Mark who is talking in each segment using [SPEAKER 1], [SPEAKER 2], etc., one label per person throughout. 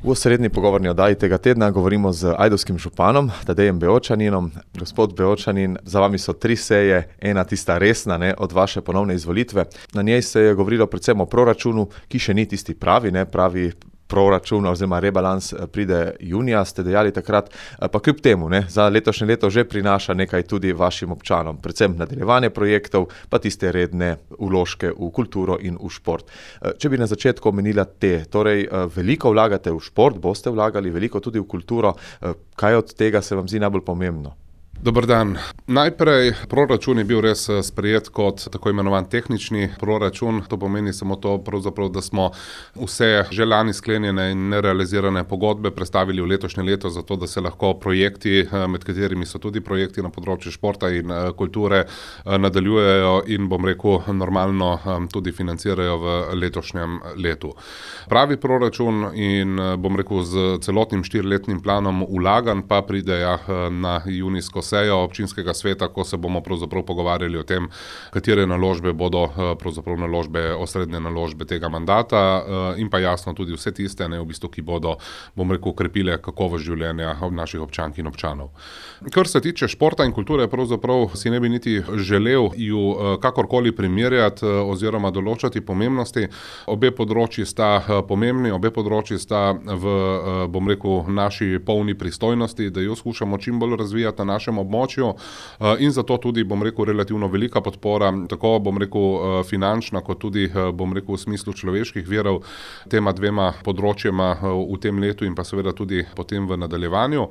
[SPEAKER 1] V osrednji pogovorni oddaji tega tedna govorimo z ajdovskim županom Tadejem Beočaninom. Gospod Beočanin, za vami so 3 seje, ena tista resna, od vaše ponovne izvolitve. Na njej se je govorilo predvsem o proračunu, ki še ni tisti pravi proračun oziroma rebalans pride junija, ste dejali takrat, pa kljub temu, za letošnje leto že prinaša nekaj tudi vašim občanom, predvsem nadaljevanje projektov, pa tiste redne vložke v kulturo in v šport. Če bi na začetku omenila torej veliko vlagate v šport, boste vlagali veliko tudi v kulturo, kaj od tega se vam zdi najbolj pomembno?
[SPEAKER 2] Dober dan. Najprej, proračun je bil res sprejet kot tako imenovan tehnični proračun. To pomeni samo to, pravzaprav, da smo vse že lani sklenjene in nerealizirane pogodbe prestavili v letošnje leto, zato da se lahko projekti, med katerimi so tudi projekti na področju športa in kulture, nadaljujejo in, normalno tudi financirajo v letošnjem letu. Pravi proračun in, z celotnim 4-letnim planom vlaganj pa pride na junijsko sejo občinskega sveta, ko se bomo pravzaprav pogovarjali o tem, katere naložbe bodo osrednje naložbe tega mandata, in pa jasno tudi vse tiste, ki bodo, krepile kakovost življenja naših občank in občanov. Kar se tiče športa in kulture, pravzaprav si ne bi niti želel ju kakorkoli primerjati oziroma določati pomembnosti. Obe področji sta pomembni, obe področji sta v, naši polni pristojnosti, da jo skušamo čim bolj razvijati na našem območju, in zato tudi, relativno velika podpora, tako, finančna, kot tudi, v smislu človeških virov, tema dvema področjema v tem letu in pa seveda tudi potem v nadaljevanju.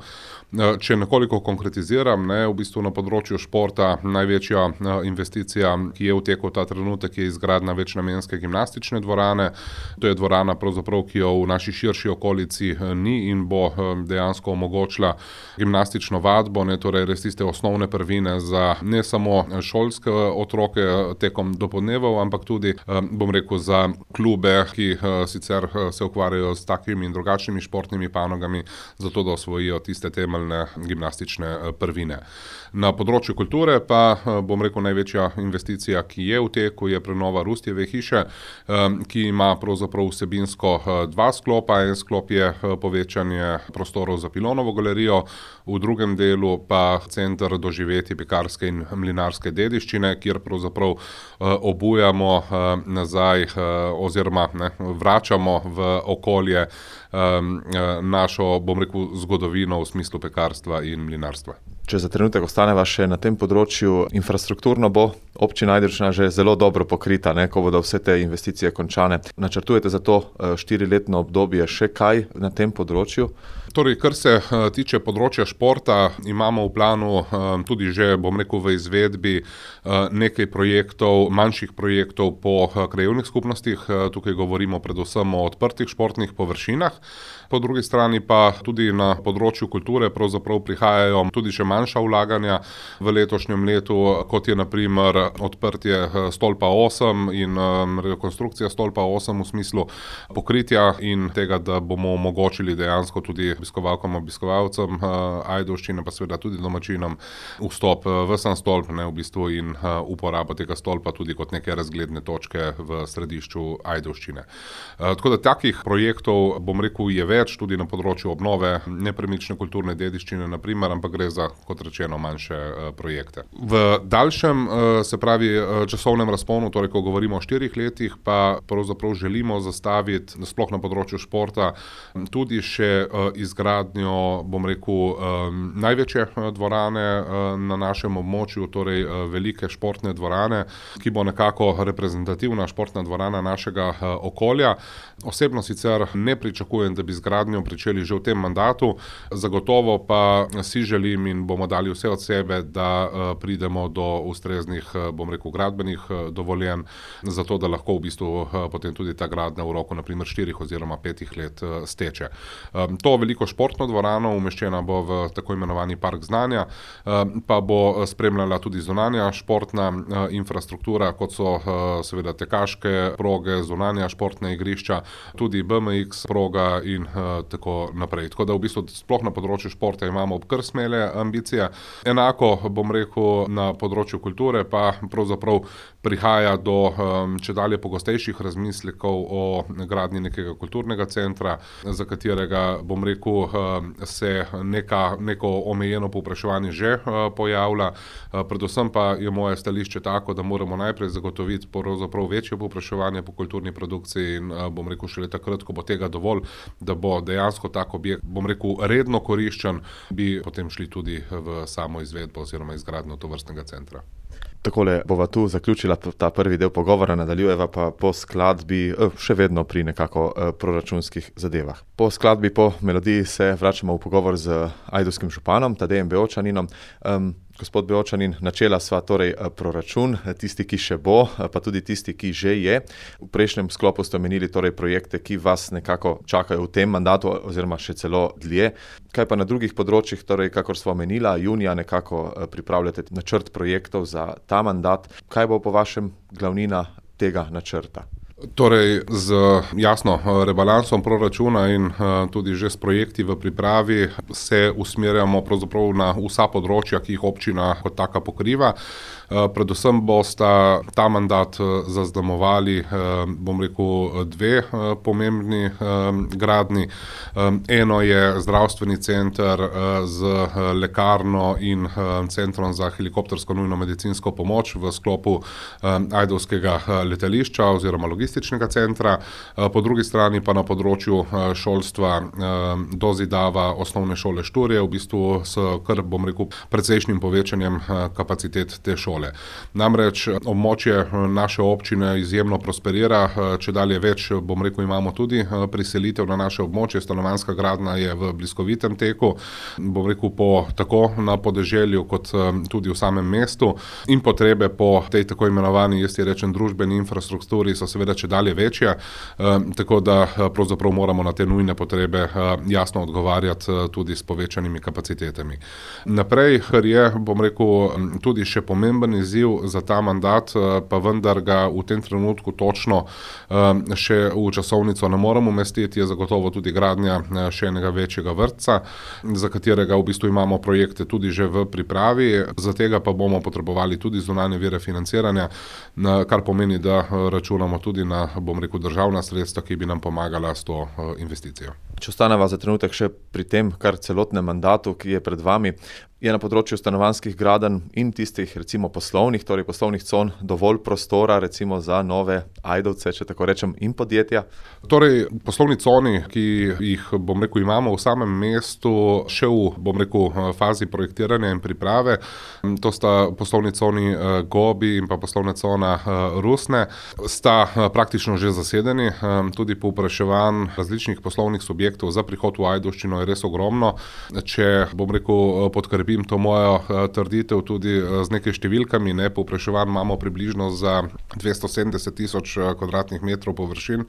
[SPEAKER 2] Če nekoliko konkretiziram, v bistvu na področju športa največja investicija, ki je v teku ta trenutek, je izgradnja večnamenske gimnastične dvorane. To je dvorana, ki jo v naši širši okolici ni in bo dejansko omogočila gimnastično vadbo, torej res tiste osnovne prvine za ne samo šolske otroke tekom dopoldnevov, ampak tudi, za klube, ki sicer se ukvarjajo s takimi in drugačnimi športnimi panogami, zato da osvojijo tiste temeljne gimnastične prvine. Na področju kulture pa, največja investicija, ki je v teku, je prenova Rustjeve hiše, ki ima pravzaprav vsebinsko 2 sklopa. En sklop je povečanje prostorov za Pilonovo galerijo, v drugem delu pa center doživetij pekarske in mlinarske dediščine, kjer pravzaprav obujamo nazaj oziroma vračamo v okolje našo, zgodovino v smislu pekarstva in mlinarstva.
[SPEAKER 1] Če za trenutek ostaneva še na tem področju, infrastrukturno bo občina Ajdovščina že zelo dobro pokrita, ko bodo vse te investicije končane. Načrtujete za to 4-letno obdobje še kaj na tem področju?
[SPEAKER 2] Torej, kar se tiče področja športa, imamo v planu tudi že, v izvedbi nekaj projektov, manjših projektov po krajevnih skupnostih. Tukaj govorimo predvsem o odprtih športnih površinah. Po drugi strani pa tudi na področju kulture pravzaprav prihajajo tudi še manjša vlaganja v letošnjem letu, kot je na primer odprtje stolpa 8 in rekonstrukcija stolpa 8 v smislu pokritja in tega, da bomo omogočili dejansko tudi obiskovalkam, obiskovalcem Ajdovščine, pa seveda tudi domačinom vstop v sam stolp, in uporabo tega stolpa tudi kot neke razgledne točke v središču Ajdovščine. Tako da takih projektov, je več tudi na področju obnove nepremične kulturne dediščine, na primer, ampak gre za, kot rečeno, manjše projekte. V daljšem, se pravi, časovnem razponu, torej ko govorimo o 4 letih, pa pravzaprav želimo zastaviti, sploh na področju športa, tudi še izgradnjo, največje dvorane na našem območju, torej velike športne dvorane, ki bo nekako reprezentativna športna dvorana našega okolja. Osebno sicer ne pričakujem, da bi zgradnjo pričeli že v tem mandatu, zagotovo pa si želim in bomo dali vse od sebe, da pridemo do ustreznih, gradbenih dovoljenj, zato da lahko v bistvu potem tudi ta gradnja v roku na primer 4 oziroma 5 let steče. To veliko športno dvorano umeščena bo v tako imenovani park znanja, pa bo spremljala tudi zunanja športna infrastruktura, kot so seveda tekaške proge, zunanja športna igrišča, tudi BMX proga, športa in tako naprej. Tako da v bistvu sploh na področju športa imamo kar smele ambicije. Enako bom rekel na področju kulture pa pravzaprav prihaja do čedalje pogostejših razmislekov o gradnji nekega kulturnega centra, za katerega bom rekel se neko omejeno povpraševanje že pojavlja. Predvsem pa je moje stališče tako, da moramo najprej zagotoviti pravzaprav večje povpraševanje po kulturni produkciji in bom rekel šele takrat, ko bo tega dovolj, da bo dejansko tak objekt, bom rekel, redno koriščen, bi potem šli tudi v samo izvedbo oziroma izgradnjo tovrstnega centra.
[SPEAKER 1] Takole bova tu zaključila ta prvi del pogovora, nadaljujeva pa po skladbi, še vedno pri nekako proračunskih zadevah. Po skladbi, po melodiji se vračamo v pogovor z ajdovskim županom Tadejem Beočaninom. Gospod Beočanin, načela sva torej proračun, tisti, ki še bo, pa tudi tisti, ki že je. V prejšnjem sklopu ste omenili torej projekte, ki vas nekako čakajo v tem mandatu oziroma še celo dlje. Kaj pa na drugih področjih, torej kakor sva omenila, junija nekako pripravljate načrt projektov za ta mandat. Kaj bo po vašem glavnina tega načrta?
[SPEAKER 2] Torej, z jasno rebalansom proračuna in tudi že s projekti v pripravi se usmerjamo pravzaprav na vsa področja, ki jih občina kot taka pokriva. Predvsem bosta ta mandat zaznamovali, bom rekel, dve pomembni gradnji. Eno je zdravstveni center z lekarno in centrom za helikoptersko nujno medicinsko pomoč v sklopu ajdovskega letališča oziroma logističnega centra. Po drugi strani pa na področju šolstva dozidava osnovne šole Šturje, v bistvu s kar, bom rekel, precejšnjim povečanjem kapacitet te šole. Namreč območje naše občine izjemno prosperira, čedalje več, bom rekel, imamo tudi priselitev na naše območje, stanovanjska gradnja je v bliskovitem teku, bom rekel, tako na podeželju kot tudi v samem mestu in potrebe po tej tako imenovani, jaz ti rečem, družbeni infrastrukturi so seveda čedalje večje, tako da pravzaprav moramo na te nujne potrebe jasno odgovarjati tudi s povečanimi kapacitetami. Naprej, kar je, bom rekel, tudi še pomemben izziv za ta mandat, pa vendar ga v tem trenutku točno še v časovnico ne moremo umestiti, je zagotovo tudi gradnja še enega večjega vrtca, za katerega v bistvu imamo projekte tudi že v pripravi, za tega pa bomo potrebovali tudi zunanje vire financiranja, kar pomeni, da računamo tudi na, bom rekel, državna sredstva, ki bi nam pomagala s to investicijo.
[SPEAKER 1] Če ostaneva za trenutek še pri tem, kar celotnem mandatu, ki je pred vami, je na področju stanovanjskih gradenj in tistih recimo poslovnih con dovolj prostora recimo za nove ajdovce, če tako rečem, in podjetja?
[SPEAKER 2] Torej, poslovni coni, ki jih, bom rekel, imamo v samem mestu, še v, bom rekel, fazi projektiranja in priprave, to sta poslovni coni Gobi in pa poslovna cona Rusne, sta praktično že zasedeni, tudi povpraševanj različnih poslovnih subjektov za prihod v Ajdovščino je res ogromno. Če, bom rekel, podkrepim to mojo trditev tudi z nekaj številkami, povpraševanj imamo približno za 270,000 kvadratnih metrov površin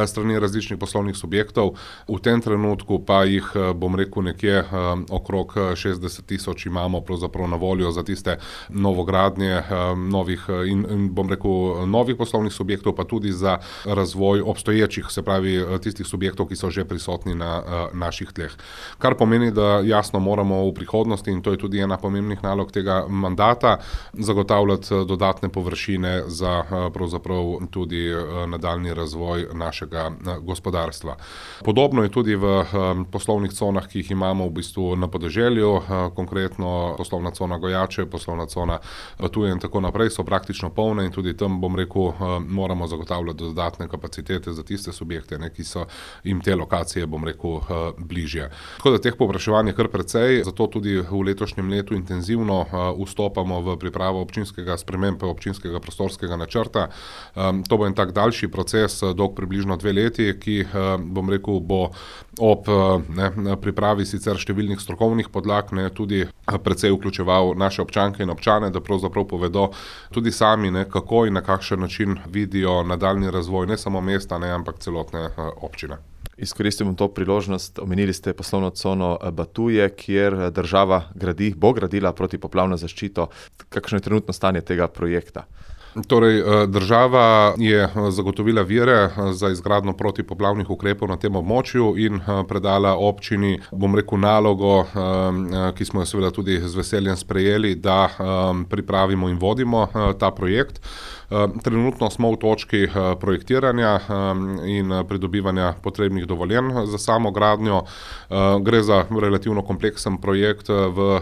[SPEAKER 2] strani različnih poslovnih subjektov. V tem trenutku pa jih, bom rekel, nekje okrog 60,000 imamo pravzaprav na voljo za tiste novogradnje novih in bom rekel, novih poslovnih subjektov, pa tudi za razvoj obstoječih, se pravi tistih subjektov, ki so že prisotni na naših tleh. Kar pomeni, da jasno moramo v prihodnosti, in to je tudi ena pomembnih nalog tega mandata, zagotavljati dodatne površine za pravzaprav tudi nadaljnji razvoj našega gospodarstva. Podobno je tudi v poslovnih conah, ki jih imamo v bistvu na podeželju, konkretno poslovna cona Gojače, poslovna cona Tuje in tako naprej, so praktično polne in tudi tam, bom rekel, moramo zagotavljati dodatne kapacitete za tiste subjekte, ki so jim te lokacije, bom rekel, bližje. Tako da teh povpraševanj je kar precej, zato tudi v letošnjem letu intenzivno vstopamo v pripravo spremembe občinskega prostorskega načrta. To bo en tak daljši proces, dolg približno 2 leti, ki, bom rekel, bo ob pripravi sicer številnih strokovnih podlag tudi precej vključeval naše občanke in občane, da pravzaprav povedo tudi sami, kako in na kakšen način vidijo nadaljnji razvoj ne samo mesta, ampak celotne občine.
[SPEAKER 1] Izkoristil bom to priložnost, omenili ste poslovno cono Batuje, kjer država bo gradila protipoplavno zaščito. Kakšno je trenutno stanje tega projekta?
[SPEAKER 2] Torej, država je zagotovila vire za izgradnjo protipoplavnih ukrepov na tem območju in predala občini, bom rekel, nalogo, ki smo jo seveda tudi z veseljem sprejeli, da pripravimo in vodimo ta projekt. Trenutno smo v točki projektiranja in pridobivanja potrebnih dovoljenj za samo gradnjo. Gre za relativno kompleksen projekt, v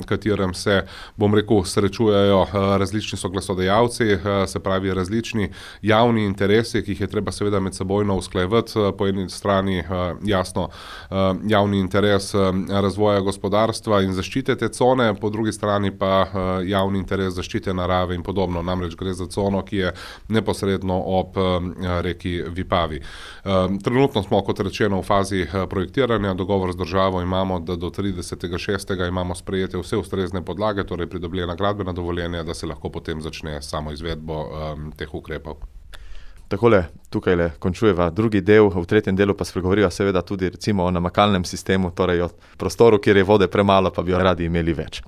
[SPEAKER 2] katerem se, bom rekel, srečujejo različni soglasodajalci, se pravi različni javni interesi, ki jih je treba seveda med sebojno usklajevati. Po eni strani jasno javni interes razvoja gospodarstva in zaščite te cone, po drugi strani pa javni interes zaščite narave in podobno. Namreč gre za cono, ki je neposredno ob reki Vipavi. Trenutno smo, kot rečeno, v fazi projektiranja. Dogovor z državo imamo, da do 30.6. imamo sprejete vse ustrezne podlage, torej pridobljena gradbena dovoljenja, da se lahko potem začne samo izvedbo teh ukrepov.
[SPEAKER 1] Takole, tukajle končujeva drugi del, v tretjem delu pa spregovoriva seveda tudi recimo o namakalnem sistemu, torej o prostoru, kjer je vode premalo, pa bi jo radi imeli več.